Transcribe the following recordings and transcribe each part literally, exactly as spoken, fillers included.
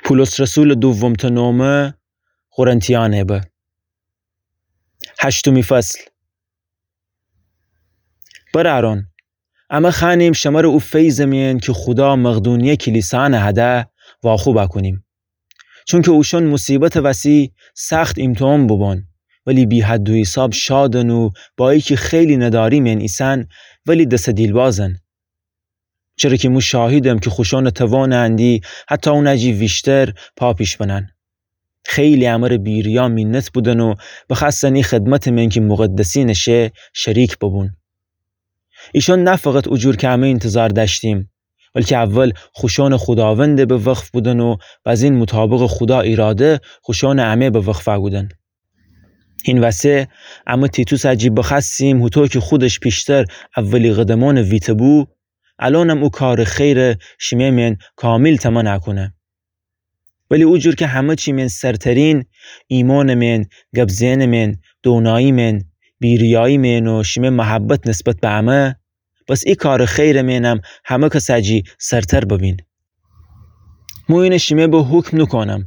پولس رسولٚ دومٚ نامه قرنتیأنٚ به. هشتمی فصل. برأرأن، امه خوأنیم شمره او فیضٚ مئن کی خودا مقدونیه کلیسأنٚ هده واخوب کونیم. چونکی اوشأن موصیبتٚ وسی سخت ایمتحان بوبون، ولی بی‌حد و حیساب شادن و با ایکی خیلی نداری مئن ایسن، ولی دسٚ دیلبازن. چره کی مو شاهیدم کی خوشأنٚ توانٚ اندی حتی اونٚ جی ویشتر پا پیش بنن. خیلی امره بی‌ریا مینت بودن و بخوأستن ای خدمتٚ مئن کی مقدسینٚ شه شریک ببون. ایشأن نه فقط اوجور کی امه اینتظار دأشتیم، بلکی اول خوشأنٚ خوداوندٚ به وقف بودن و بزین مطابقٚ خودا ایراده خوشأنٚ امه به وقف کودن. هین وسه امه تیتوسٚ جی بخوأستیم، هوطو کی خودش پیشتر اولی قدمأنٚ ویته بو، الأنم او کارٚ خیره شیمه مئن کامیل تمنا کونه. ولی اوجور کی همه چی مئن سرترین، ایمأنٚ مئن، گب زئنٚ مئن، دونایی مئن، بی‌ریایی مئن و شیمه محبت نسبت به امه، بس ای کارٚ خیرٚ مئنم همه کسٚ جی سرتر ببین. مو اینه شیمه به حکم نوکونم،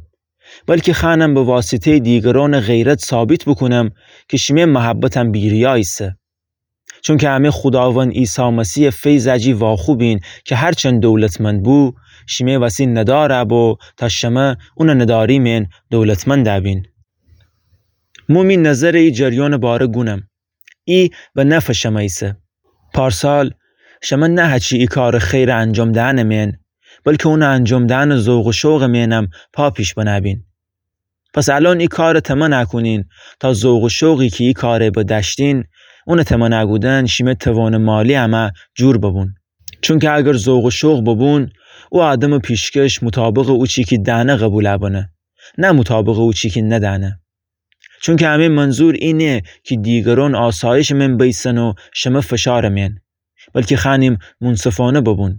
بلکی خوأنم به واسطه‌یٚ دیگرأنٚ غیرت ثابت بوکونم کی شیمه محبتم بی‌ریا ایسه. چونکی امه خوداوند عیسی مسیحٚ فیضٚ جی واخوبین کی هرچند دولتمند بو، شیمه وسی ندارٚ بو تا شمه اونٚ نداری مئن دولتمند بین. مو می نظرٚ ای جریانٚ باره گونم. ای به نفعٚ شمه ایسه. پارسال شمه نه هچی ای کارٚ خیرٚ انجام دئنٚ مئن، بلکی اونٚ انجام دئنٚ ذوق و شوقٚ مئنم پا پیش بنه بین. پس الأن ای کارٚ تمنا کونین تا ذوق و شوقی کی ای کارٚ به دأشتین، اونٚ تمنا کودن شیمه توانٚ مالی امه جور ببون. چونکی اگر ذوق و شوق ببون، او آدمٚ پیشکش مطابقٚ اوچی کی دأنه قبول بنه، نه مطابقٚ اوچی کی ندأنه. چونکی امه منظور اینه کی دیگرأن آسایشٚ مئن بیسن و شمه فشارٚ مئن، بلکی خوأنیم منصفانه ببون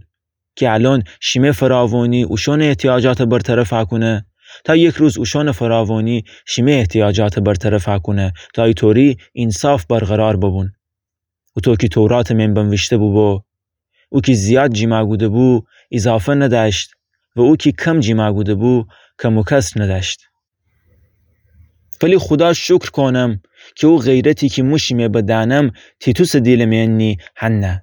کی الأن شیمه فراوانی اوشأنٚ احتیاجاتٚ برطرف کونه، تا یک روز اوشأنٚ فراوانی شیمه احتیاجاتٚ برطرف کونه، تا ایطوری انصاف برقرار ببون. هوطو کی توراتٚ مئن بنویشته بوبو: او کی زیاد جیما کوده بو، ایضافه ندأشت، و او کی کم جیما کوده بو، کم و کسر ندأشت. ولی خودا شکر کونم کی او غیرتی کی مو شیمه به دأنم، تیتوسٚ دیلٚ مئن نی هنه.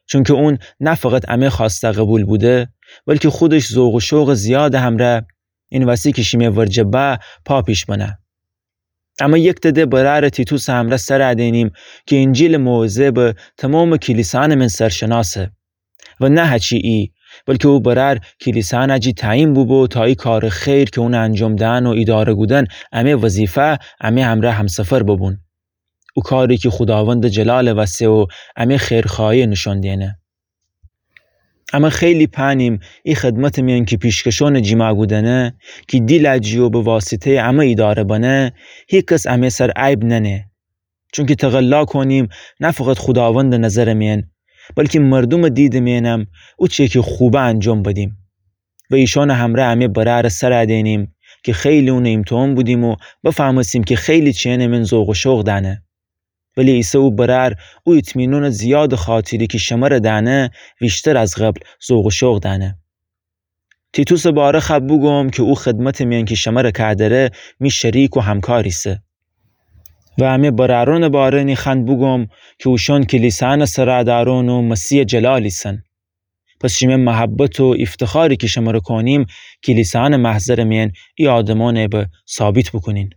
چونکی اون نه فقط امه خوأسته قبول بوده، بلکی خودش ذوق و شوقٚ زیادٚ همرأ، این وسی کی شیمه ورجه به پا پیش بنه. امه یکتأ ده برأرٚ تیتوسٚ همرأ سر دئنیم کی انجیلٚ موعظه به تومامٚ کلیسأنٚ مئن سرشناسه. و نه هچی ای، بلکی او برأر کلیسأنٚ جی تعیین بوبو تا ای کارٚ خیر کی اونٚ انجام دئن و ایداره کودن امه وظیفه، امه همرأ همسفر ببون. او کاری کی خوداوندٚ جلالٚ وسه و امه خیرخواهی نشان دئنه. امه خیلی پنیم ای خدمتٚ مئن کی پیشکشأنٚ جیما کودنه کی دیلٚ جی و به واسطه‌یٚ امه ایداره بنه، هیکس امه سر عیب ننه. چونکی تقلا کونیم نه فقط خوداوندٚ نظرٚ مئن، بلکی مردومٚ دیدٚ مئنم اوچه کی خوبه انجام بدیم. و ایشأنٚ همرأ امه برأرٚ سر دئنیم کی خیلی اونٚ ایمتحان بودیم و بفهمستیم کی خیلی چیأنٚ مئن ذوق و شوق دأنه. ولی ایسه او برأر او اطمینانٚ زیادٚ خاطری کی شمره دأنه، ویشتر از قبل ذوق و شوق دأنه. تیتوسٚ باره خوأ بوگوم کی او خدمتٚ مئن کی شمره کودره، می شریک و همکار ایسه. و امه برأرأنٚ باره نی خوأن بوگوم کی اوشأن کلیسأنٚ سرادرأن و مسیحٚ جلال ایسن. پس شیمه محبت و ایفتخاری کی شمره کونیم، کلیسأنٚ محضرٚ مئن ای آدمأنٚ به ثابت بوکونین.